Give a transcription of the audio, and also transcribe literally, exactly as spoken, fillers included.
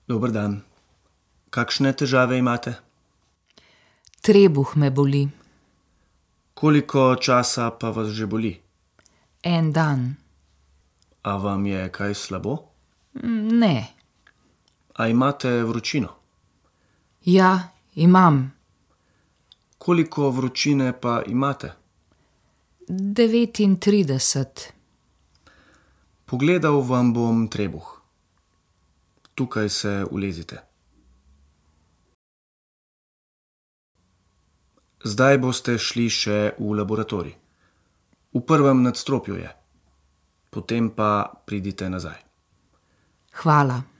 Dober dan. Kakšne težave imate? Trebuh me boli. Koliko časa pa vas že boli? En dan. A vam je kaj slabo? Ne. A imate vročino? Ja, imam. Koliko vročine pa imate? Devetintrideset. Pogledal vam bom trebuh. Tukaj se ulezite. Zdaj boste šli še v laboratorij. V prvem nadstropju je. Potem pa pridite nazaj. Hvala.